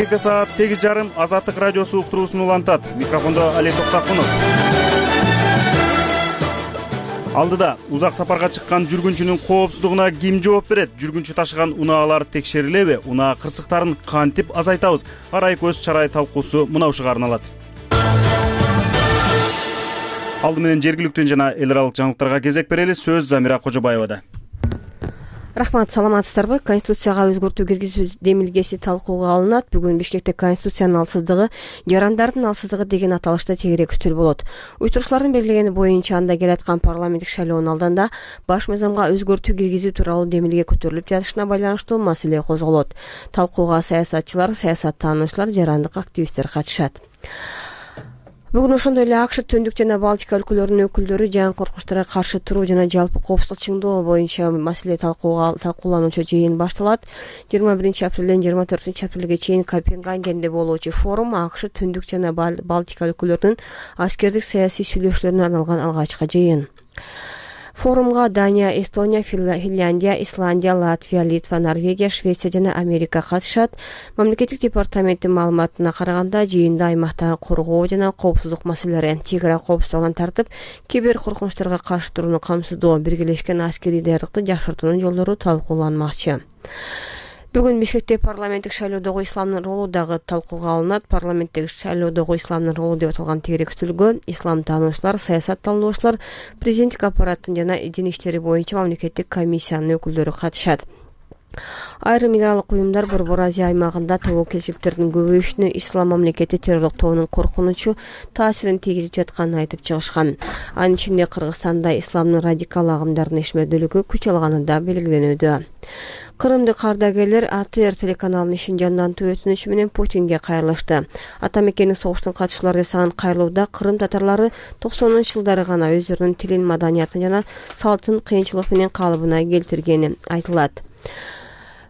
Бишкекте саат 8:30 Азаттык радиосу уктуруусун улантат. Микрофондо Али Токтакунов. Алдыда узак сапарга чыккан жүргүнчүнүн коопсуздугуна ким жооп берет? Жүргүнчү ташыган унаалар текшерилеби? Унаа кырсыктарын кантип азайтабыз? Арай көз чарай талкуусу мына ушуга арналат. Алды менен жергиликтүү жана эл аралык жаңылыктарга кезек берели. Сөз Замира Кожобаевада. Рахмат, саламатсыздарбы? Конституцияга өзгөртүү киргизүү демилгеси талкууга алынат. Бүгүн Бишкекте конституциянын алсыздыгы, жарандардын алсыздыгы деген аталышта тегерек үстөл болот. Уюштуруучулардын белгилегени боюнча анда келаткан парламенттик шайлоонун алдында баш мыйзамга өзгөртүү киргизүү тууралуу демилге көтөрүлүп жатышына байланыштуу маселе козголот. Талкууга саясатчылар, саясаттануучулар, жарандык активисттер катышат. Бүгүн ошондой эле АКШ Түндүк жана Балтика өлкөлөрүнүн өкүлдөрү жаңы коркунучтарга каршы туруу жана жалпы коопсуздук чыңдоо боюнча маселе талкуулануучу жыйын башталат. 21 апрелден 24 апрелге чейин Копенгагенде болуучу форум АКШ Түндүк жана Балтика өлкөлөрүнүн аскердик саясий сүйлөшүүлөрүнө арналган алгачкы жыйын. Форумга Дания, Эстония, Финляндия, Исландия, Латвия, Литва, Норвегия, Швеция жана Америка катышат. Мамлекеттик департаменттин маалыматына караганда, жыйында аймактагы коргоо жана коопсуздук маселелери, чек ара коопсуздугунан тартып, кибер коркунучтарга каршы турууну камсыздоо, биргелешкен аскерий даярдыкты жакшыртуунун жолдору талкууланмакчы. Бүгүн Бишкекте парламенттик шайлоодогу исламдын ролу дагы талкууга алынат. Парламенттик шайлоодогу исламдын ролу деп аталган тегерек үстөлгө ислам таануучулар, саясаттануучулар, президенттик аппараттын жана дин иштери боюнча мамлекеттик комиссиянын өкүлдөрү катышат. Айрым эл аралык уюмдар Борбор Азия аймагында тобокелчиликтердин көбөйүшүнө ислам мамлекети террорлук тобунун коркунучу таасирин тийгизип жатканын айтып чыгышкан. Анын ичинде Кыргызстанда исламдын радикал агымдардын ишмердүүлүгү күч алганы да белгиленүүдө. Кырымдык ардагерлер АТР телеканалынын ишин жандантуу өтүнүчү менен Путинге кайрылышты. Ата мекендик согуштун катышчылары жасаган кайрылууда Кырым татарлары 90-жылдары гана өздөрүнүн тилин, маданиятын жана салтын кыйынчылык менен калыбына келтиргени айтылат.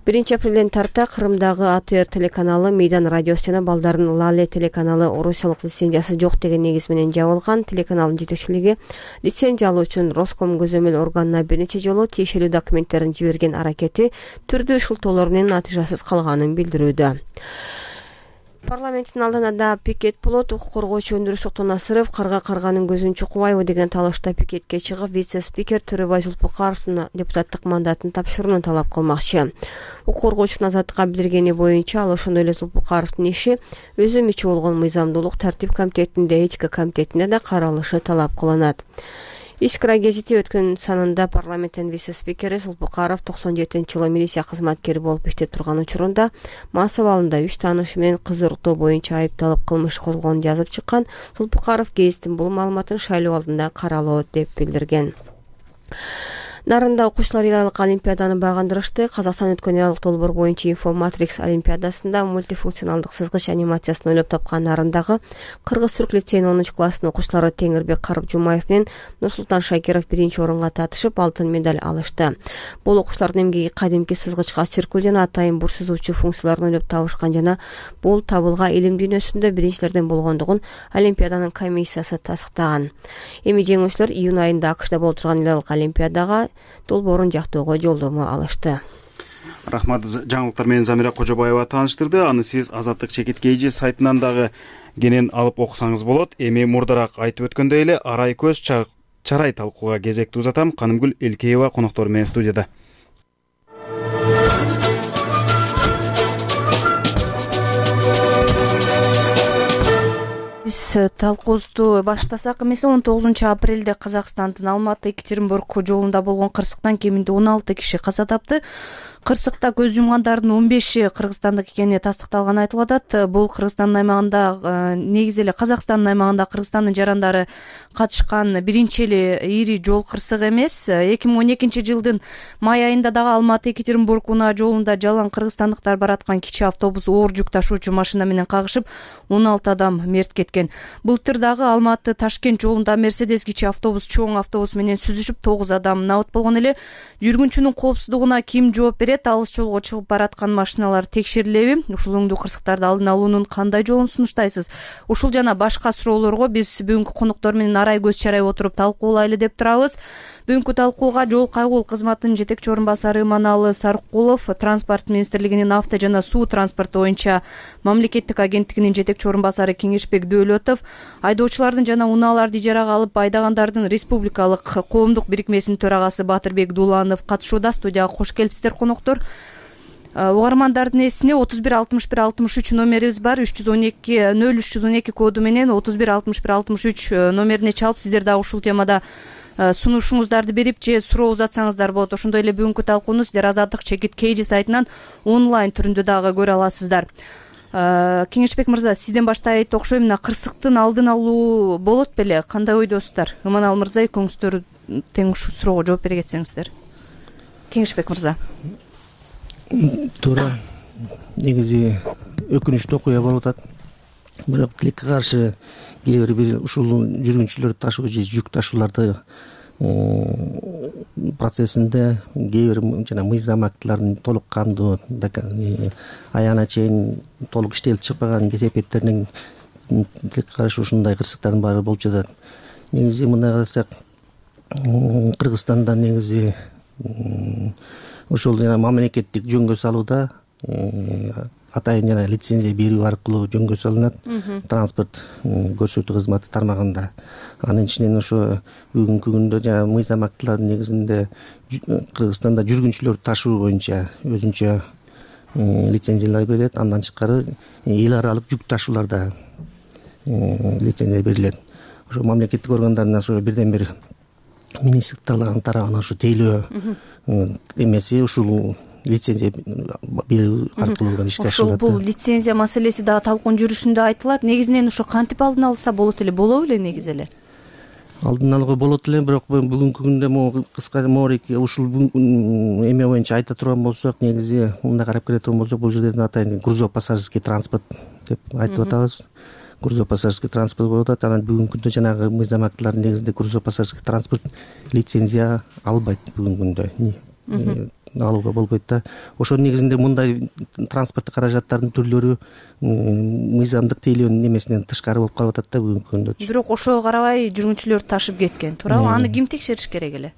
1 апрелден тарта Кырымдагы АТР телеканалы Мейдан радиосу жана балдардын Лале телеканалы орусиялык лицензиясы жок деген негиз менен жабылган. Телеканалдын жетекчилиги лицензия алуу үчүн Роском көзөмөл органына бир нече жолу тиешелүү документтерин жиберген аракети түрдүү шылтоолор менен натыйжасыз калганын билдирүүдө. Парламенттин алдында пикет болот. Укук коргоочу Өндүрүс Токтонасыров карганын көзүн чукубайбы деген талашта пикетке чыгып, вице-спикер Төрөбай Зулпукаровдун депутаттык мандатын тапшырууну талап кылмакчы. Укук коргоочунун азаттыкка билдиргени боюнча, ал ошондой эле Зулпукаровдун иши өзү мүчө болгон мыйзамдуулук тартип комитетинде, этика комитетинде да каралышы талап кылынат. Искра гезити өткөн санында парламенттин вице-спикери Зулпукаров 97-жылы милиция кызматкери болуп иштеп турган учурунда мас абалында 3 таанышы менен кыз уруктоо боюнча айыпталып кылмыш козголгонун жазып чыккан. Зулпукаров гезиттин бул маалыматын шайлоо алдында каралот деп билдирген. Нарында окуучулар эл аралык олимпиаданы багындырышты. Казакстан өткөн эл аралык долбоор боюнча Инфоматрикс олимпиадасында мультифункционалдык сызгыч анимациясын ойлоп тапкан Нарындагы Кыргыз-Түрк лицейинин 10 класстын окуучулары Теңирбек Карып-Жумаев менен Нурсултан Шакиров 1-орунга татышып, алтын медаль алышты. Бул окуучулардын эмгеги кадимки сызгычка циркуль жана атайын бур сызуучу функцияларын ойлоп табышкан жана бул табылга илим дүйнөсүндө биринчилерден болгондугун олимпиаданын комиссиясы тастыктаган. Эми жеңүүчүлөр июнь айында АКШда болуп турган эл аралык олимпиадага долбоорун жактоого жолдомо алышты. Рахмат, жаңылыктар менен Замира Кожобаева тааныштырды. Аны сиз Азаттык чекиткейжи сайтынан дагы кенен алып окусаңыз болот. Эми мурдараак айтып өткөндөй эле арай көз чарай талкууга кезекти узатам. Канымгүл Элкеева коноктору менен студияда. Талкуубузду баштасак эмес, 19 апрелде Казакстандын Алматы-Екатеринбург жолунда болгон кырсыктан кеминде 16 киши каза тапты. Кырсыкта көз жумгандардын 15-и кыргызстандык экени тастыкталганы айтылып атат. Бул Кыргызстандын аймагында, негизи эле Казакстандын аймагында Кыргызстандын жарандары катышкан биринчи эле ири жол кырсыгы эмес. 2012-жылдын май айында дагы Алматы-Екатеринбург унаа жолунда жалаң кыргызстандыктар бараткан кичи автобус оор жүк ташуучу машина менен кагышып, 16 адам мерт кеткен. кеткен. Былтыр дагы Алматы Ташкент жолунда Мерседес кичи автобус чоң автобус менен сүзүшүп 9 адам набыт болгон эле. Жүргүнчүнүн коопсуздугуна ким жооп берет? Алыс жолго чыгып бараткан машиналар текшерилеби? Ушул оңдуу кырсыктарды алдын алуунун кандай жолун сунуштайсыз? Ушул жана башка суроолорго биз бүгүнкү конуктор менен арай көз чарай отуруп талкуулайлы деп турабыз. Бүгүнкү талкууга жол кайгыл кызматынын жетекчи орун басары Иманалы Сарыкулов, Транспорт министрлигинин авто жана суу транспорту боюнча мамлекеттик агенттигинин жетекчи орун басары Кеңешбек Дөөлөтов, айдоочулардын жана унааларды ижарага алып айдагандардын республикалык коомдук бирикмесинин төрагасы Батырбек Дуланов катышууда. Студияга кош келипсиздер коноктор. Угармандардын эсине 316163 номерибиз бар. 312 коду менен 316163 номерине чалып сиздер дагы ушул темада сунушуңуздарды берип же суроо узатсаңыздар болот. Ошондой эле бүгүнкү талкууну сиздер Азаттык чекит KG сайтынан онлайн түрүндө дагы көрө аласыздар. Кеңешбек мырза, сизден баштайт окшойм. Мына кырсыктын алдын алуу болот беле? Кандай ойдосуздар? Иманалы мырза, экөөңүздөр тең ушул суроого жооп бере кетсеңиздер. Кеңешбек мырза. Туура. Негизи өкүнүчтүү окуя болуп атат. Бирок тилекке каршы кээ бир ушул жүргүнчүлөр ташуу же жүк ташууларды процессинде кээ бир жана мыйзам актыларын толук кандуу аягына чейин толук иштелип чыкпаган кесепеттеринин тилекке каршы ушундай кырсыктардын баары болуп жатат. Негизи мындай карасак, Кыргызстанда негизи ошол жана мамлекеттик жөнгө салууда атайын жана лицензия берүү аркылуу жөнгө салынат транспорт көрсөтүү кызматы тармагында. Анын ичинен ошо бүгүнкү күндө жана мыйзам актыларынын негизинде Кыргызстанда жүргүнчүлөр ташуу боюнча өзүнчө лицензиялар берилет. Андан тышкары эл аралык жүк ташууларда лицензия берилет. Ошо мамлекеттик органдардын ошо бирден бир министрликтин тарабынан ошо тейлөө эмеси ушул лицензия берүү аркылуу ишке ашырылат. Ошол бул лицензия маселеси дагы талкуунун жүрүшүндө айтылат. Негизинен ошо кантип алдын алса болот эле, болобу эле негизи эле? Алдын алууга болот эле, бирок бүгүнкү күндө могу кыска моорик ушул эме боюнча айта турган болсок, негизи мындай карап келе турган болсок, бул жерде атайын грузопассажирский транспорт деп айтып атабыз. Грузопассажирский транспорт болуп атат. Анан бүгүнкү күндө жанагы мыйзам актыларынын негизинде грузопассажирский транспорт лицензия албайт. Бүгүнкү күндө алууга болбойт да. Ошонун негизинде мындай транспорттук каражаттардын түрлөрү мыйзамдык тейлөөнүн эмесинен тышкары болуп калып атат да бүгүнкү күндө. Бирок ошого карабай жүргүнчүлөр ташып кеткен, туурабы? Аны ким текшериш керек эле?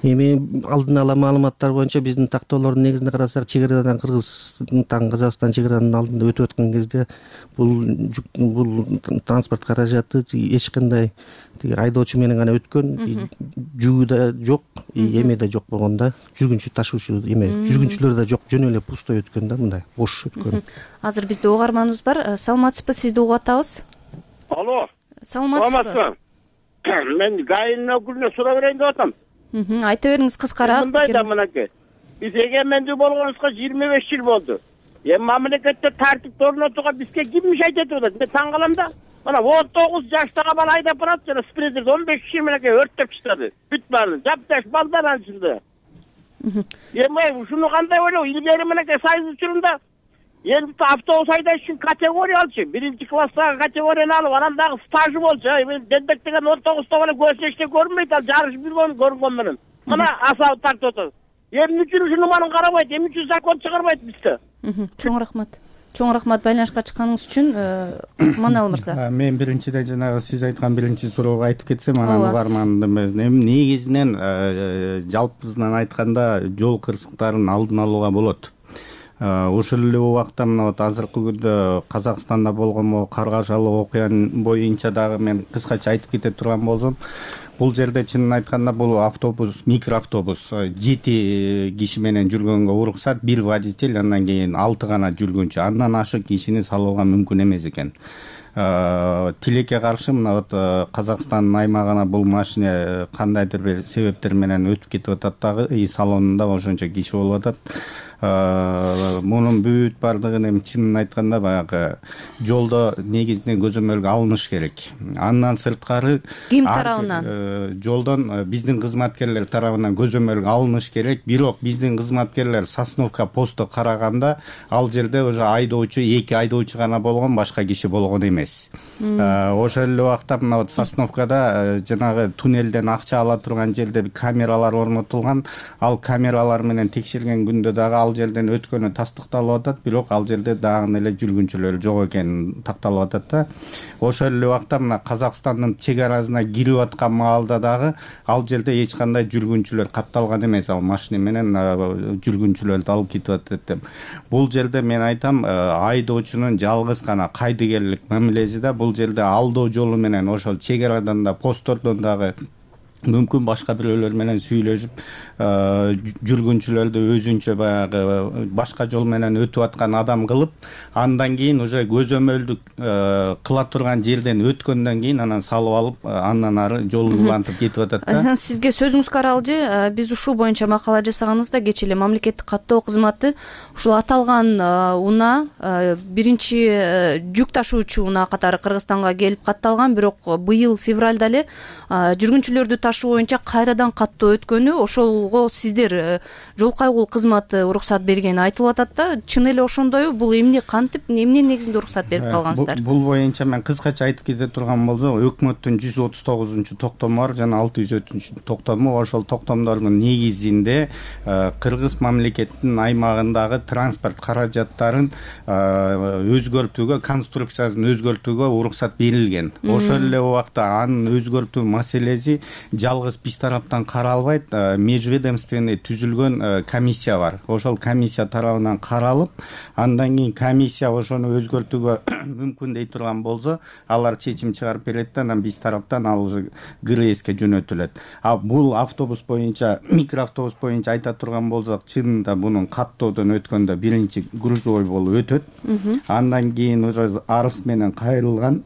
Эми алдын ала маалыматтар боюнча биздин тактоолордун негизинде карасак, чегарадан Кыргызстан Казакстан чегаранын алдында өтүп аткан кезде бул транспорт каражаты эч кандай айдоочу менен гана өткөн, жүгү да жок, эме да жок болгон да. Жүргүнчү ташуучу эме, жүргүнчүлөр да жок, жөн эле пустой өткөн да, мындай бош өткөн. Азыр бизде угарманыбыз бар. Саламатсызбы? Сизди угуп атабыз. Алло. Саламатсызбы? Мен ГАИнин өкүлүнө суроо берейин деп атам. Айта бериңиз кыскараак. Мындай да мынакей. Биз эгемендүү болгонубузга 25 жыл болду. Эми мамлекетте тартипти орнотууга бизге ким мешайт этип атат? Мен таң калам да. Мына 19 жаштагы бала айдап барат, жана спринтер 15 киши менен өрттөп чыгады. Бүт баарын жапташ балдар анын ичинде. Эми ушуну кандай ойлоо? Илгери менен союз учурунда эми автобус айдаш үчүн категория алчу. 1-класстагы категорияны алып, анан дагы стажы болчу. Эми дендек деген 19-то бала көзүнө эчтеке көрүнбөйт, ал жарышып көрүнгөн менен. Мына асабы тартып атат. Эмне үчүн ушуну маны карабайт? Эмне үчүн закон чыгарбайт бизде? Чоң рахмат. Чоң рахмат байланышка чыкканыңыз үчүн. Иманалы мырза. Мен биринчиден жанагы сиз айткан биринчи суроого айтып кетсем, анан угармандын эми негизинен жалпысынан айтканда жол кырсыктарын алдын алууга болот. Ошол эле убакта мына вот азыркы күндө Казакстанда болгон каргашалуу окуянын боюнча дагы мен кыскача айтып кете турган болсом, бул жерде чынын айтканда бул автобус, микроавтобус 7 киши менен жүргөнгө уруксат, 1 водитель, андан кийин 6 гана жүргүнчү. Андан ашык кишини салууга мүмкүн эмес экен. Тилекке каршы мына вот Казакстандын аймагына бул машина кандайдыр бир себептер менен өтүп кетип атат дагы, салонунда ошончо киши болуп атат. Мунун бүт бардыгын эми чынын айтканда баягы жолдо негизинен көзөмөлгө алыныш керек. Андан сырткары ким тарабынан? Жолдон биздин кызматкерлер тарабынан көзөмөлгө алыныш керек. Бирок биздин кызматкерлер Сосновка посту караганда ал жерде уже айдоочу, 2 айдоочу гана болгон, башка киши болгон эмес. Ошол эле убакта мына вот Сосновкада жанагы туннелден акча ала турган жерде камералар орнотулган. Ал камералар менен текшерген күндө дагы ал жерден өткөнү тастыкталып атат, бирок ал жерде дагы эле жүргүнчүлөр жок экени такталып атат да. Ошол эле убакта мына Казакстандын чек арасына кирип аткан маалда дагы ал жерде эч кандай жүргүнчүлөр катталган эмес. Ал машина менен жүргүнчүлөрдү алып кетип атат деп. Бул жерде мен айтам, айдоочунун жалгыз гана кайдыгерлик мамилеси да бул жерде алдоо жолу менен ошол чек арадан да посттордон дагы мүмкүн башка бирөөлөр менен сүйлөшүп жүргүнчүлөрдү өзүнчө баягы башка жол менен өтүп аткан адам кылып, андан кийин уже көзөмөлдү кыла турган жерден өткөндөн кийин анан салып алып, андан ары жолун улантып кетип атат да. Сизге сөзүңүз каралжы. Биз ушул боюнча макала жасаганыбызда кечээ эле мамлекеттик каттоо кызматы ушул аталган унаа биринчи жүк ташуучу унаа катары Кыргызстанга келип катталган, бирок быйыл февралда эле жүргүнчүлөрдү ташуу боюнча кайрадан каттоо өткөнү, ошолго сиздер жол кайгул кызматы уруксат бергени айтылып атат да. Чын эле ошондойбу? Бул эмне кантип, эмненин негизинде уруксат берип калгансыздар? Бул боюнча мен кыскача айтып кете турган болсом, өкмөттүн 139 токтому бар жана 603 токтому. Ошол токтомдордун негизинде Кыргыз мамлекетинин аймагындагы транспорт каражаттарын өзгөртүүгө, конструкциясын өзгөртүүгө уруксат берилген. Ошол эле убакта анын өзгөртүү маселеси жалгыз биз тараптан каралбайт, межведомственный түзүлгөн комиссия бар. Ошол комиссия тарабынан каралып, андан кийин комиссия ошону өзгөртүүгө мүмкүн дей турган болсо, алар чечим чыгарып берет да, анан биз тараптан ал уже ГРСке жөнөтүлөт. Бул автобус боюнча, микроавтобус боюнча айта турган болсок, чынында бунун каттоодон өткөндө биринчи грузовой болуп өтөт. Андан кийин уже арыз менен кайрылган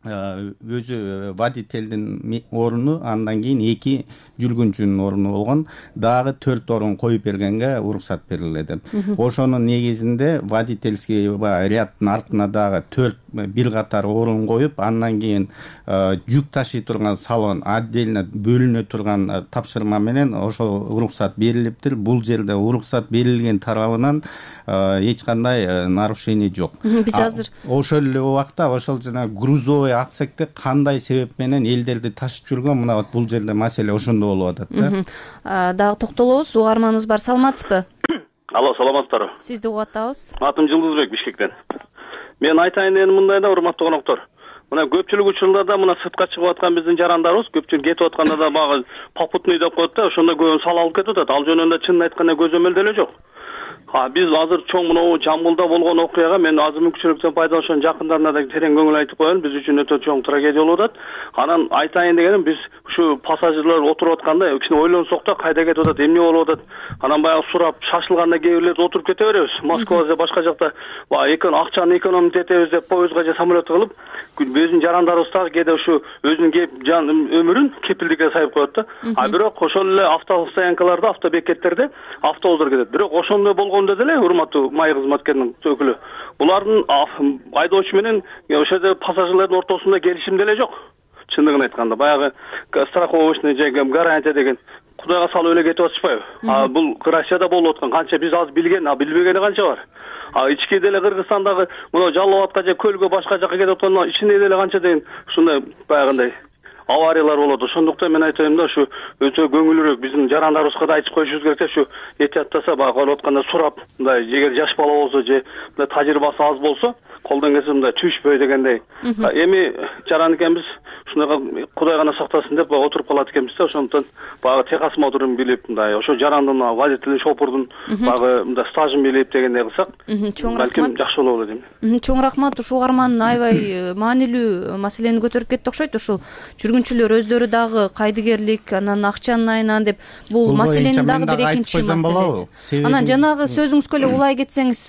өзү водительдин оруну, андан кийин 2 жүргүнчүнүн оруну болгон, дагы 4 орун коюп бергенге уруксат берилет. Ошонун негизинде водительский ряддын артына дагы 4 бир катар орун коюп, андан кийин жүк ташый турган салон отдельно бөлүнө турган тапшырма менен ошол уруксат берилиптир. Бул жерде уруксат берилген тарабынан эч кандай нарушение жок. Биз азыр ошол эле убакта ошол жана грузовой отсекте кандай себеп менен элдерди ташып жүргөн, мына бул жерде маселе ошондо болуп атат да. Дагы токтолобуз. Угарманыбыз бар, саламатсызбы? Алло, саламатсыздарбы? Сизди угуп атабыз. Атым Жылдызбек, Бишкектен. Мен айтайын дегеним мындай да, урматтуу коноктор. Мына көпчүлүк учурларда мына сыртка чыгып аткан биздин жарандарыбыз көпчүлүк кетип атканда да багы попутный деп коет да, ошондо көбүн сал алып кетип атат. Ал жөнүндө чынын айтканда көзөмөл деле жок. Биз азыр чоң мынау Жамбылда болгон окуяга мен азыр мүмкүнчүлүктөн пайдаланып жакындарына да терең көңүл айтып коеюн. Биз үчүн өтө чоң трагедия болуп атат. Анан айтайын дегеним, биз ушу пассажирлер отуруп атканда кичине ойлонсок да, кайда кетип атат, эмне болуп атат. Анан баягы сурап шашылганда кээ бирлерди отуруп кете беребиз. Москвада же башка жакта акчаны экономить этебиз деп поездга же самолетко кылып, биздин жарандарыбыз дагы кээде ушу өзүнүн өмүрүн кепилдикке сайып коет да. Бирок ошол эле автостоянкаларда, автобекеттерде автобустар кетет. Бирок ошондой болгондо деле, урматтуу май кызматкеринин өкүлү, булардын айдоочу менен ошол жерде пассажирлердин ортосунда келишим деле жок. Чындыгын айтканда, баягы страховочный же гарантия деген Кудайга салып эле кетип атышпайбы? Бул Россияда болуп аткан канча биз аз билген, билбегени канча бар. Ички деле Кыргызстандагы мына Жалал Абадка же көлгө башка жака кетип атканда ичинде деле канча деген ушундай баягындай авариялар болот. Ошондуктан мен айтайм да, ушу өтө көңүлүрөөк биздин жарандарыбызга да айтып коюшубуз керек да, ушу этияттаса баягы болуп атканда сурап, мындай эгер жаш бала болсо же мындай тажрыйбасы аз болсо, колдон келсе мындай түшпөй дегендей. Эми жаран экенбиз, ушундай Кудай гана сактасын деп отуруп калат экенбиз да. Ошондуктан баягы техосмотрун билип, мындай ошо жарандын, водительдин, шофердун баягы мындай стажын билип дегендей кылсак, балким жакшы болот дейм. Чоң рахмат. Ушул угарман аябай маанилүү маселени көтөрүп кетти окшойт. Ушул жүргүнчүлөр өздөрү дагы кайдыгерлик, анан акчанын айынан деп, бул маселенин дагы бир экинчи маселеси. Анан жанагы сөзүңүзгө эле улай кетсеңиз,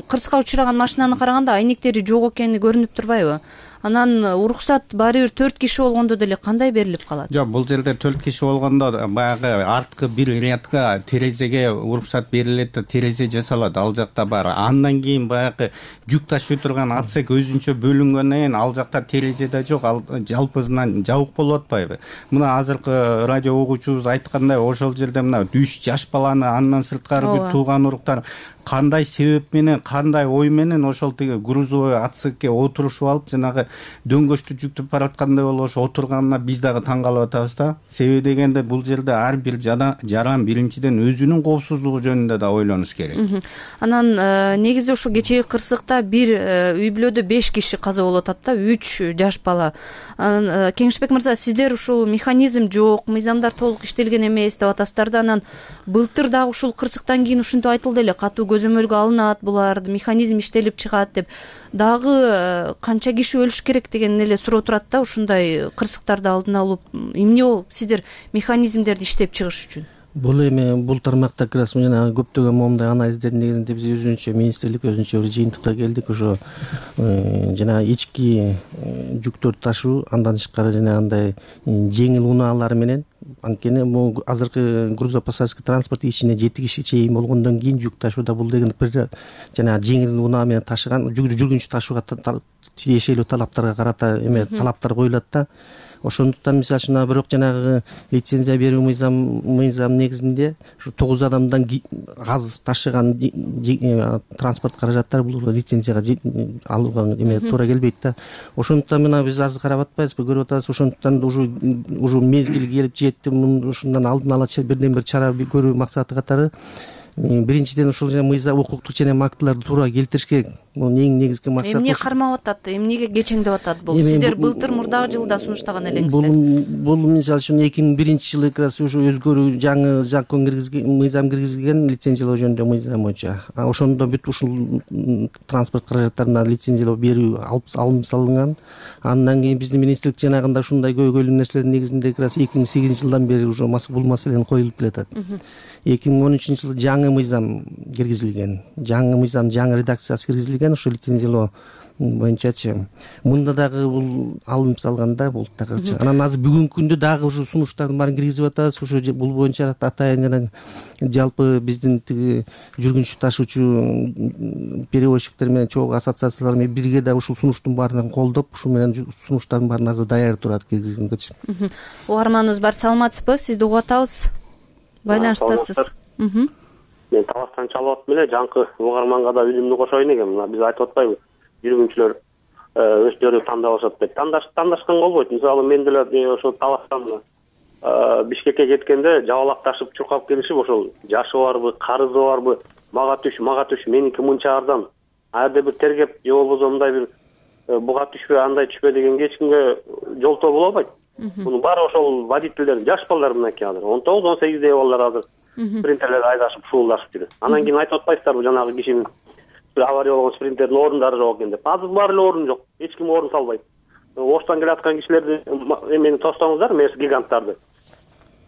кырсыкка учураган машинаны караганда айнектери жок экени көрүнүп турбайбы? анан уруксат баары бир 4 киши болгондо деле кандай берилип калат? Жок, бул жерде 4 киши болгондо баягы арткы бир рядка терезеге уруксат берилет да терезе жасалат, ал жакта бар. Андан кийин баягы жүк ташый турган отсек өзүнчө бөлүнгөндөн кийин ал жакта терезе да жок, ал жалпысынан жабык болуп атпайбы? Мына азыркы радио угуучубуз айткандай, ошол жерде мына 3 жаш баланы андан сырткары бүт тууган уруктар кандай себеп менен, кандай ой менен ошол тиги грузовой отсекке отурушуп алып, жанагы дөңгөчтү жүктөп бараткандай болуп ошо отурганына биз дагы таң калып атабыз да. Себеби дегенде бул жерде ар бир жаран биринчиден өзүнүн коопсуздугу жөнүндө да ойлонуш керек. Анан негизи ошо кечээги кырсыкта бир үй бүлөдө 5 киши каза болуп атат да, 3 жаш бала. Кеңешбек мырза, сиздер ушул механизм жок, мыйзамдар толук иштелген эмес деп атасыздар да, анан былтыр дагы ушул кырсыктан кийин ушинтип айтылды эле, катуу көзөмөлгө алынат булар, механизм иштелип чыгат деп. Дагы канча киши өлүш керек деген эле суроо турат да, ушундай кырсыктарды алдын алып, эмне болуп сиздер механизмдерди иштеп чыгыш үчүн? Бул эми бул тармакта как раз жана көптөгөн момундай анализдердин негизинде биз өзүнчө министрлик өзүнчө бир жыйынтыкка келдик. Ошо жана ички жүктөрдү ташуу, андан тышкары жанагындай жеңил унаалар менен, анткени бул азыркы грузопассажирский транспорт ичине 7 киши чейин болгондон кийин жүк ташууда бул деген бир жана жеңил унаа менен ташыган жүргүнчү ташууга тиешелүү талаптарга карата эме талаптар коюлат да. Ошондуктан мисалы үчүн бирок жанагы лицензия берүү мыйзам негизинде ушу 9 адамдан аз ташыган транспорт каражаттары бул лицензияга алууга эме туура келбейт да. Ошондуктан мына биз азыр карап атпайбызбы, көрүп атабыз. Ошондуктан уже мезгили келип жетти. Ушундан алдын ала бирден бир чара көрүү максаты катары биринчиден ушул мыйзам укуктук ченем актыларды туура келтириш керек. Бул эң негизги максат. Эмне кармап атат, эмнеге кечеңдеп атат бул? Сиздер былтыр мурдагы жылда сунуштаган элеңиздер. Бул мисалы үчүн 2001 жылы ушу өзгөрүү жаңы закон киргизген, мыйзам киргизилген, лицензиялоо жөнүндө мыйзам боюнча. Ошондо бүт ушул транспорт каражаттарына лицензиялоо берүү алым салынган. Андан кийин биздин министрлик жанагында ушундай көйгөйлүү нерселердин негизинде 2008 жылдан бери уже бул маселени коюлуп келатат. 2013 жылы жаңы мыйзам киргизилген. Жаңы мыйзам, жаңы редакциясы киргизилген ошо лицензиялоо боюнчачы. Мында дагы бул алынып салганда болуп дагы. Анан азыр бүгүнкү күндө дагы ушу сунуштардын баарын киргизип атабыз. Ушу бул боюнча атайын жана жалпы биздин тиги жүргүнчү ташуучу перевозчиктер менен чогуу ассоциациялар менен бирге да ушул сунуштун баарын колдоп, ушу менен сунуштардын баарын азыр даяр турат киргизгенчи. Угарманыбыз бар, саламатсызбы? Сизди угуп атабыз. Байланыштасыз. Мен Таластан чалып атып эле жаңкы угарманга да билимди кошоюн экен. Мына биз айтып атпайбы, жүргүнчүлөр өздөрү тандап алышат деп. Тандашкан болбойт. Мисалы мен деле ошо Таластан Бишкекке кеткенде жабалак ташып чуркап келишип, ошол жашы барбы, карызы барбы, мага түш, меники мынча арзан. Аерде бир тергеп, же болбосо мындай бир буга түшпө, андай түшпө дегенге эч кимге жолтоо боло албайт. Мунун баары ошол водительдер, жаш балдар мынакей азыр 19-18 балдар азыр спринтерлерди айдашып шуулдашып жүрөт. Анан кийин айтып атпайсыздарбы, жанагы кишинин авария болгон спринтердин ордундары жок экен деп. Азыр баары эле орун жок. Эч ким орун салбайт. Оштан келаткан кишилерди эмени тостоңуздар, мес гиганттарды.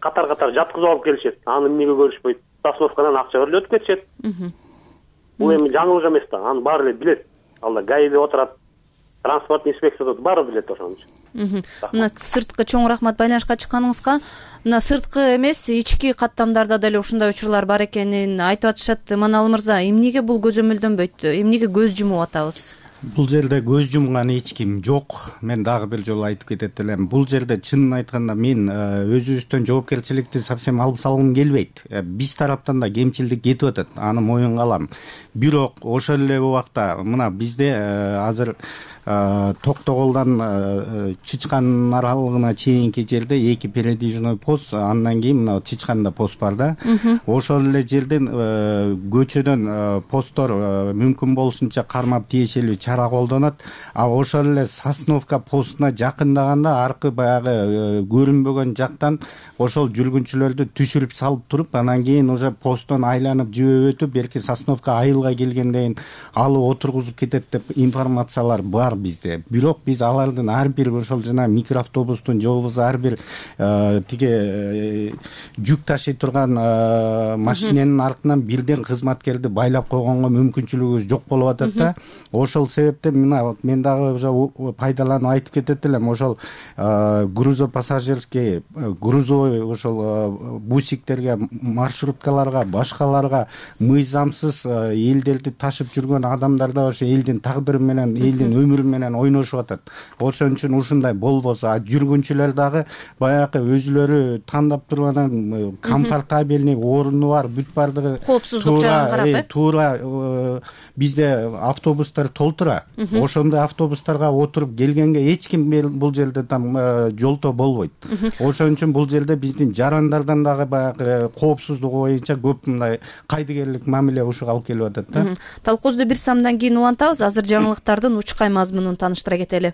Катар жаткызып алып келишет. Аны эмнеге көрүшпөйт? Остановкадан акча берип өтүп кетишет. Бул эми жаңылык эмес да. Аны баары эле билет. Алда ГАИде отурат, транспорт инспекциясы баары билет ошону. Мына сырткы чоң рахмат байланышка чыкканыңызга. Мына сырткы эмес, ички каттамдарда деле ушундай учурлар бар экенин айтып атышат. Маналы мырза, эмнеге бул көзөмөлдөнбөйт? Эмнеге көз жумуп атабыз? Бул жерде көз жумган эч ким жок. Мен дагы бир жолу айтып кетет элем. Бул жерде чынын айтканда мен өзүбүздөн жоопкерчиликти совсем алып салгым келбейт. Биз тараптан да кемчилдик кетип атат. Аны моюнга алам. Бирок ошол эле убакта мына бизде азыр Токтоголдон Чычкан аралыгына чейинки жерде 2 передвижной пост, андан кийин мына Чычканда пост бар да. Ошол эле жерден көчөдөн посттор мүмкүн болушунча кармап тиешелүү чара колдонот. А ошол эле Сосновка постуна жакындаганда аркы баягы көрүнбөгөн жактан ошол жүргүнчүлөрдү түшүрүп салып туруп, анан кийин уже посттон айланып жөө өтүп, белки Сосновка айылга келгенден кийин алып отургузуп кетет деп информациялар бар. бизде. Бирок биз алардын ар бир ошол жана микроавтобустун же болбосо ар бир тиги жүк ташый турган машиненин артынан бирден кызматкерди байлап койгонго мүмкүнчүлүгүбүз жок болуп атат да. Ошол себептен мен дагы уже пайдаланып айтып кетет элем. Ошол грузопассажирский, грузовой ошол бусиктерге, маршруткаларга, башкаларга мыйзамсыз элдерди ташып жүргөн адамдар да ошо элдин тагдыры менен, элдин өмүрү менен ойношуп атат. Ошон үчүн ушундай болбосо, жүргүнчүлөр дагы баягы өзүлөрү тандап турган комфортабельный оруну бар, бүт бардыгы коопсуздук жагын карап, туура бизде автобустар толтура. Ошондой автобустарга отуруп келгенге эч ким бул жерде там жолтоо болбойт. Ошон үчүн бул жерде биздин жарандардан дагы баягы коопсуздугу боюнча көп мындай кайдыгерлик мамиле ушуга алып келип атат да. Талкуубузду бир самдан кийин улантабыз. Азыр жаңылыктардын учкай мазмунун тааныштыра кетели.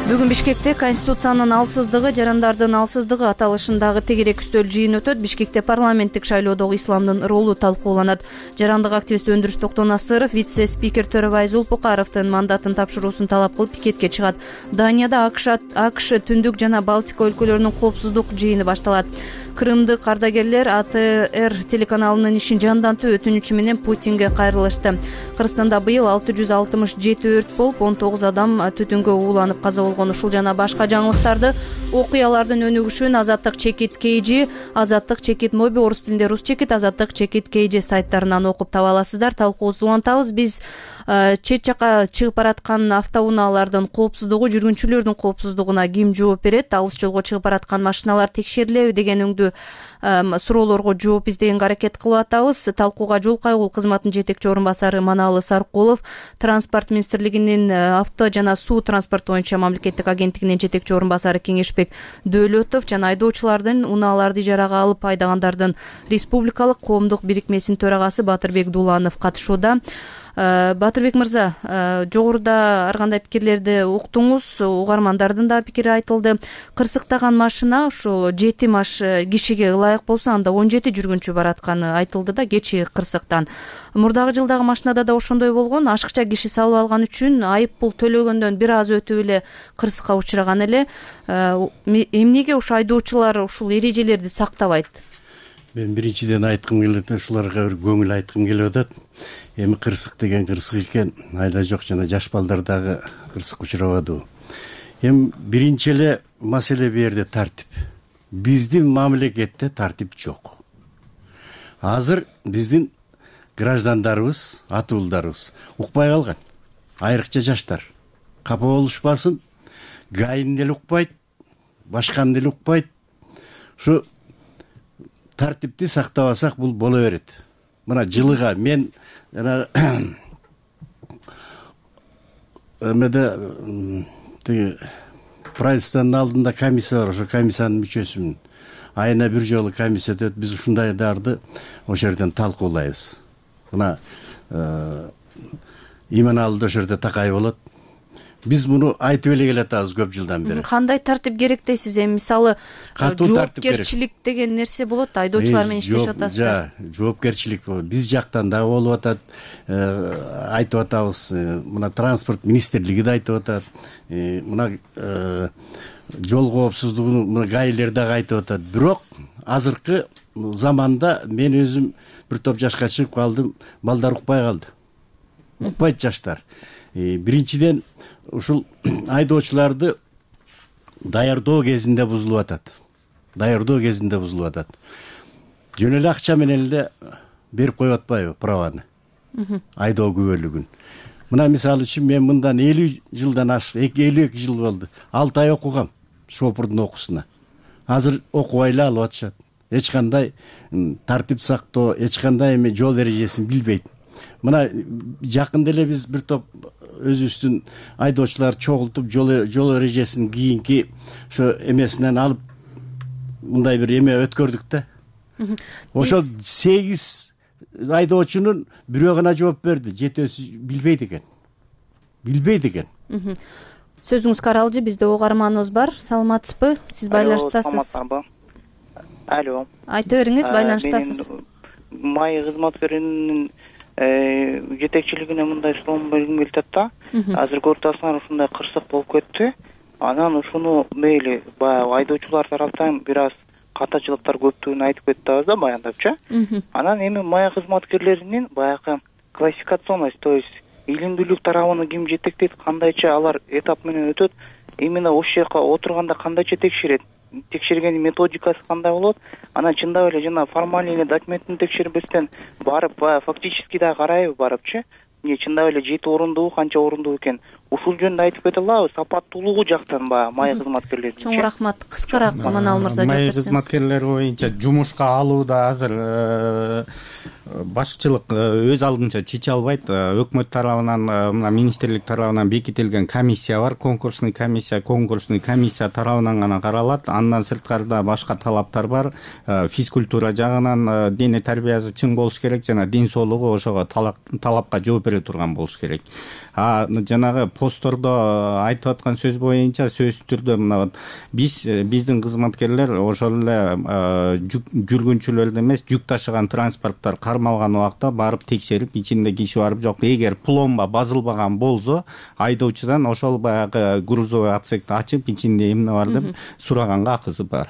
Бүгүн Бишкекте Конституциянын алсыздыгы, жарандардын алсыздыгы аталышындагы тегерек үстөл жыйын өтөт. Бишкекте парламенттик шайлоодогу исламдын ролу талкууланат. Жарандык активист Өндүрүш Токтонасыров вице-спикер Төрөбай Зулпукаровдун мандатын тапшыруусун талап кылып пикетке чыгат. Данияда АКШ Түндүк жана Балтика өлкөлөрүнүн коопсуздук жыйыны башталат. Крымдык ардагерлер АТР телеканалынын ишин жандантуу өтүнүчү менен Путинге кайрылышты. Кыргызстанда быйыл 667 өрт болуп, 19 адам түтүнгө ууланып каза болгон. Ушул жана башка жаңылыктарды окуялардын өнүгүшүн Азаттык чекит KG, Азаттык чекит моби, орус тилинде рус чекит, Азаттык чекит KG сайттарынан окуп таба аласыздар. Талкуубузду улантабыз. Биз чет жака чыгып бараткан автоунаалардын коопсуздугу, жүргүнчүлөрдүн коопсуздугуна ким жооп берет, алыс жолго чыгып бараткан машиналар текшерилеби деген өңдүү суроолорго жооп издегенге аракет кылып атабыз. Талкууга жол кайгуу кызматынын жетекчи орун басары Маналы Саркулов, Транспорт министрлигинин авто жана суу транспорту боюнча мамлекеттик агенттигинин жетекчи орун басары Кеңешбек Дөөлөтов жана айдоочулардын унааларды ижарага алып айдагандардын республикалык коомдук бирикмесинин төрагасы Батырбек Дуланов катышууда. Батырбек мырза, жогоруда ар кандай пикирлерди уктуңуз, угармандардын да пикири айтылды. Кырсыктаган машина ушул 7 кишиге ылайык болсо, анда 17 жүргүнчү баратканы айтылды да кечи кырсыктан. Мурдагы жылдагы машинада да ошондой болгон. Ашыкча киши салып алган үчүн айып пул төлөгөндөн бир аз өтүп эле кырсыкка учураган эле. Эмнеге ушу айдоочулар ушул эрежелерди сактабайт? Мен биринчиден айткым келет, ушуларга бир көңүл айткым келип атат. Эми кырсык деген кырсык экен, айда жок жана жаш балдар дагы кырсык учурабадыбы. Эми биринчи эле маселе бу жерде тартип. Биздин мамлекетте тартип жок. Азыр биздин граждандарыбыз, ата уулдарыбыз укпай калган. Айрыкча жаштар. Капа болушпасын, гайын деле укпайт, башканы деле укпайт. Ушу тартипти сактабасак бул боло берет. Мына жылыга мен жана эмеде тиги правительствонун алдында комиссия бар, ошо комиссиянын мүчөсүмүн. Айына бир жолу комиссия өтөт, биз ушундайларды ошол жерден талкуулайбыз. Мына Иманалды ошол жерде такай болот. Биз муну айтып эле келатабыз көп жылдан бери. Кандай тартип керек дейсиз? Эми мисалы жоопкерчилик деген нерсе болот, айдоочулар менен иштешип атасыздар. Жоопкерчилик биз жактан дагы болуп атат, айтып атабыз. Мына транспорт министрлиги да айтып атат. Мына жол коопсуздугун мына гаилер дагы айтып атат. Бирок азыркы заманда мен өзүм бир топ жашка чыгып калдым, балдар укпай калды. Укпайт жаштар. Биринчиден ушул айдоочуларды даярдоо кезинде бузулуп атат. Жөн эле акча менен эле берип коюп атпайбы праваны? Айдоо күбөлүгүн. Мына мисалы үчүн мен мындан 50 жылдан ашык, 52 жыл болду. 6 ай окугам шопурдун окуусуна. Азыр окубай эле алып атышат. Эч кандай тартип сактоо, эч кандай эме жол эрежесин билбейт. Мына жакында эле биз бир топ өзүбүздүн айдоочулар чогултуп жол эрежесин кийинки ошо эмесинен алып мындай бир эме өткөрдүк да. Ошол 8 айдоочунун бирөө гана жооп берди, жетөөсү билбейт экен. Сөзүңүз каралжы, бизде угарманыбыз бар. Саламатсызбы? Сиз байланыштасыз. Алло. Айта бериңиз, байланыштасыз. Май кызматкеринин жетекчилигине мындай суроону бергим келип атат да. Азыр көрүп атасыңар, ушундай кырсык болуп кетти. Анан ушуну мейли баягы айдоочулар тараптан бир аз катачылыктар көптүгүн айтып кетип атабыз да баяндапчы. Анан эми мая кызматкерлеринин баягы классификационность, то есть илимдүүлүк тарабын ким жетектейт, кандайча алар этап менен өтөт, именно ошол жака отурганда кандайча текшерет, текшергендин методикасы кандай болот, анан чындап эле жана формальный эле документин текшербестен барып фактически да карайбы барыпчы, чындап эле жети орундуу, канча орундуу экен, ушул жөнүндө айтып кете алабы, сапаттуулугу жактан баягы мая кызматкерлеринин. Чоң рахмат. Кыскараак Манал мырза мая кызматкерлери боюнча жумушка алууда азыр башчылык өз алдынча чече албайт. Өкмөт тарабынан, мына министрлик тарабынан бекитилген комиссия бар, конкурсный комиссия тарабынан гана каралат. Андан сырткарыда башка талаптар бар. Физкультура жагынан дене тарбиясы чың болуш керек, жана ден соолугу ошого талапка жооп бере турган болуш керек. Жанагы посттордо айтып аткан сөз боюнча сөзсүз түрдө мына биздин кызматкерлер ошол эле жүргүнчүлөрдү эмес, жүк ташыган транспорттор кармалган убакта барып текшерип, ичинде киши барып жок. Эгер пломба базылбаган болсо, айдоочудан ошол баягы грузовой отсекти ачып, ичинде эмне бар деп сураганга акысы бар.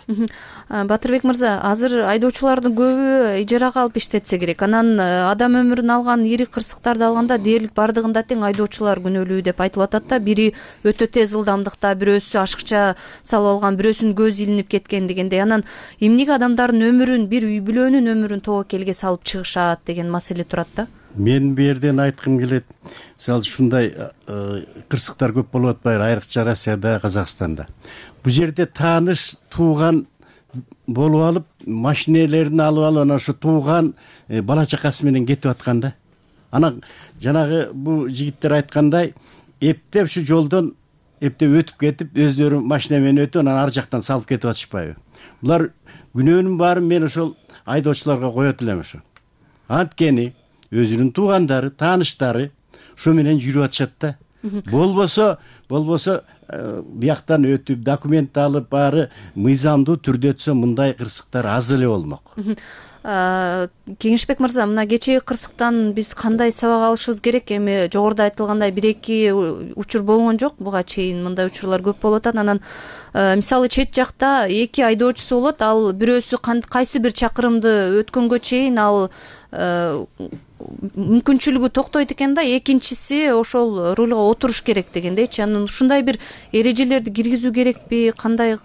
Батырбек мырза, азыр айдоочулардын көбү ижарага алып иштетсе керек. Анан адам өмүрүн алган, ири кырсыктарды алганда дээрлик бардыгында тең айдоочулар күнөөлүү деп айтылып атат да. Бири өтө тез ылдамдыкта, бирөөсү ашыкча салып алган, бирөөсүнүн көзү илинип кеткен дегендей. Анан эмнеге адамдардын өмүрүн, бир үй бүлөнүн өмүрүн тобокелге салып чыгышат деген маселе турат да. Мен бу жерден айткым келет. Мисалы ушундай кырсыктар көп болуп атпайбы, айрыкча Россияда, Казакстанда. Бу жерде тааныш, тууган болуп алып, машинелерин алып алып, анан ошо тууган бала чакасы менен кетип атканда. Анан жанагы бу жигиттер айткандай, эптеп ушу жолдон эптеп өтүп кетип, өздөрү машина менен өтүп, анан ар жактан салып кетип атышпайбы? Булар күнөөнүн баарын мен ошол айдоочуларга коет элем ошо. Анткени өзүнүн туугандары, тааныштары ошо менен жүрүп атышат да. Болбосо бияктан өтүп, документ алып, баары мыйзамдуу түрдө өтсө, мындай кырсыктар аз эле болмок. Кеңешбек мырза, мына кечээги кырсыктан биз кандай сабак алышыбыз керек? Эми жогоруда айтылгандай 1-2 учур болгон жок, буга чейин мындай учурлар көп болуп атат. Анан мисалы чет жакта 2 айдоочусу болот, ал бирөөсү кайсы бир чакырымды өткөнгө чейин ал мүмкүнчүлүгү токтойт экен да, экинчиси ошол рульга отуруш керек дегендейчи. Анан ушундай бир эрежелерди киргизүү керекпи? Кандай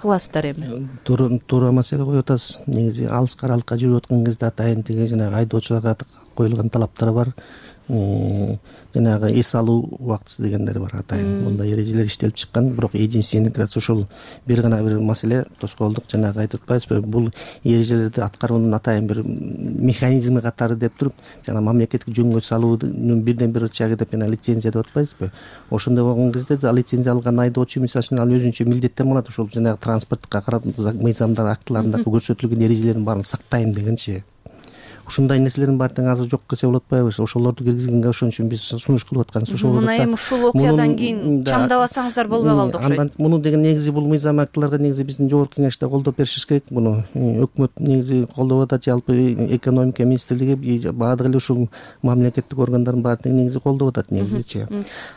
кыласыздар эми? Туура маселе коюп атасыз. Негизи алыс аралыкка жүрүп аткан кезде атайын тиги жанагы айдоочуларга коюлган талаптар бар. Жанагы эс алуу убактысы дегендер бар атайын. Мындай эрежелер иштелип чыккан, бирок единственный ошол бир гана бир маселе тоскоолдук жанагы айтып атпайбызбы? Бул эрежелерди аткаруунун атайын бир механизми катары деп туруп, жана мамлекеттик жөнгө салуунун бирден бир ычагы деп жана лицензия деп атпайбызбы? Ошондой болгон кезде лицензия алган айдоочу мисалы үчүн ал өзүнчө милдеттен болот, ошол жанагы транспорттук мыйзамдар актыларында көрсөтүлгөн эрежелердин баарын сактайм дегенчи. Ушундай нерселердин баары тең азыр жок десе болот атпайбы? Ошолорду киргизгенге ошон үчүн биз сунуш кылып атканыбыз ошол болот да. Мына эми ушул окуядан кийин чамдабасаңыздар болбой калды окшойт. Андан муну деген негизи бул мыйзам актыларга негизи биздин жогорку кеңеште колдоп беришибиз керек. Муну өкмөт негизи колдоп атат, жалпы экономика министрлиги, баардык эле ушул мамлекеттик органдардын баары тең негизи колдоп атат негизичи.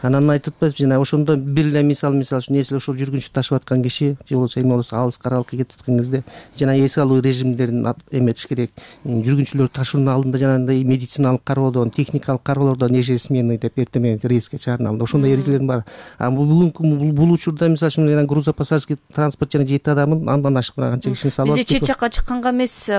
Анан айтып атпайбызбы, жана ошондо бир эле мисал үчүн эсил ошол жүргүнчү ташып аткан киши же болбосо эме болсо алыс аралыкка кетип аткан кезде жана эс алуу режимдерин эметиш керек. Жүргүнчүлөр ташуунун алдында жана медициналык кароодон, техникалык кароолордон ежесменный деп эртең менен рейске чыгарып ошондой эрежелердин баары. Бул учурда мисалы үчүн грузопассажирский транспорт жана 7 адамын андан ашык канча кишини салып бизде чет жакка чыкканга эмес,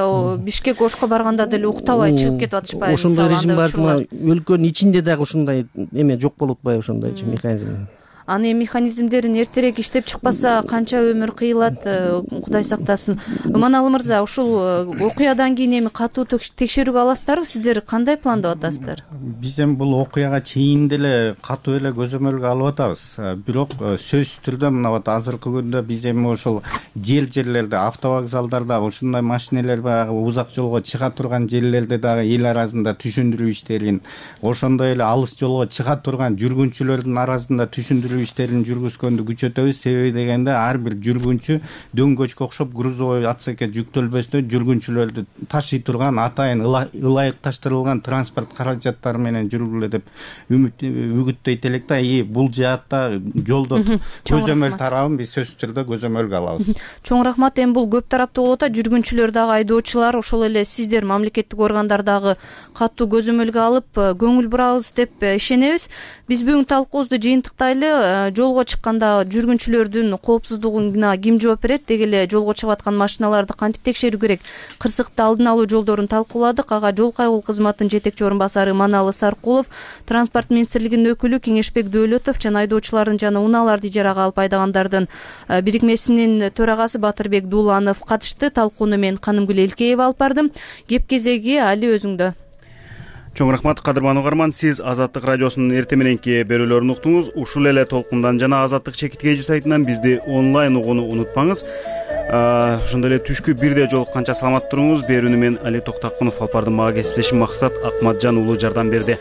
Бишкек Ошко барганда деле уктабай чыгып кетип атышпайбы? Ошондой режим бар. Өлкөнүн ичинде дагы ушундай эме жок болуп атпайбы, ошондойчу механизм. Аны механизмдерин эртерээк иштеп чыкпаса канча өмүр кыйылат, Кудай сактасын. Манал мырза, ушул окуядан кийин эми катуу текшерүүгө аласыздарбы? Сиздер кандай пландап атасыздар? Биз эми бул окуяга чейин деле катуу эле көзөмөлгө алып атабыз. Бирок сөзсүз түрдө мына вот азыркы күндө биз эми ошол жерлерде, автовокзалдарда ушундай машинелер баягы узак жолго чыга турган жерлерде дагы эл арасында түшүндүрүү иштерин, ошондой эле алыс жолго чыга турган жүргүнчүлөрдүн арасында түшүндүрүү текшерүү иштерин жүргүзгөндү күчөтөбүз. Себеби дегенде ар бир жүргүнчү дөңгөчкө окшоп грузовой отсекке жүктөлбөстөн жүргүнчүлөрдү ташый турган атайын ылайыкташтырылган транспорт каражаттары менен жүргүлө деп үгүттөйт элек да. Бул жаатта жолдо көзөмөл тарабын биз сөзсүз түрдө көзөмөлгө алабыз. Чоң рахмат. Эми бул көп тараптуу болот. Жүргүнчүлөр дагы, айдоочулар, ошол эле сиздер мамлекеттик органдар дагы катуу көзөмөлгө алып көңүл бурабыз деп ишенебиз. Биз бүгүн талкуубузду жыйынтыктайлы. Жолго чыкканда жүргүнчүлөрдүн коопсуздугуна ким жооп берет, деги эле жолго чыгып аткан машиналарды кантип текшерүү керек, кырсыкты алдын алуу жолдорун талкууладык. Ага жол кайгылуу кызматынын жетекчи орун басары Маналы Саркулов, транспорт министрлигинин өкүлү Кеңешбек Дөөлөтов жана айдоочулардын жана унааларды ижарага алып айдагандардын бирикмесинин төрагасы Батырбек Дууланов катышты. Талкууну мен Канымгүл Элкеева алып бардым. Кеп кезеги али өзүңдө. Чоң рахмат кадырман угарман. Сиз Азаттык радиосунун эртең мененки берүүлөрүн уктуңуз. Ушул эле толкундан жана Азаттык чекиткейжи сайтынан бизди онлайн угууну унутпаңыз. Ошондой эле түшкү 1-де жолукканча саламат туруңуз. Берүүнү мен Али Токтакунов алып бардым. Мага кесиптешим Максат Акматжан уулу жардам берди.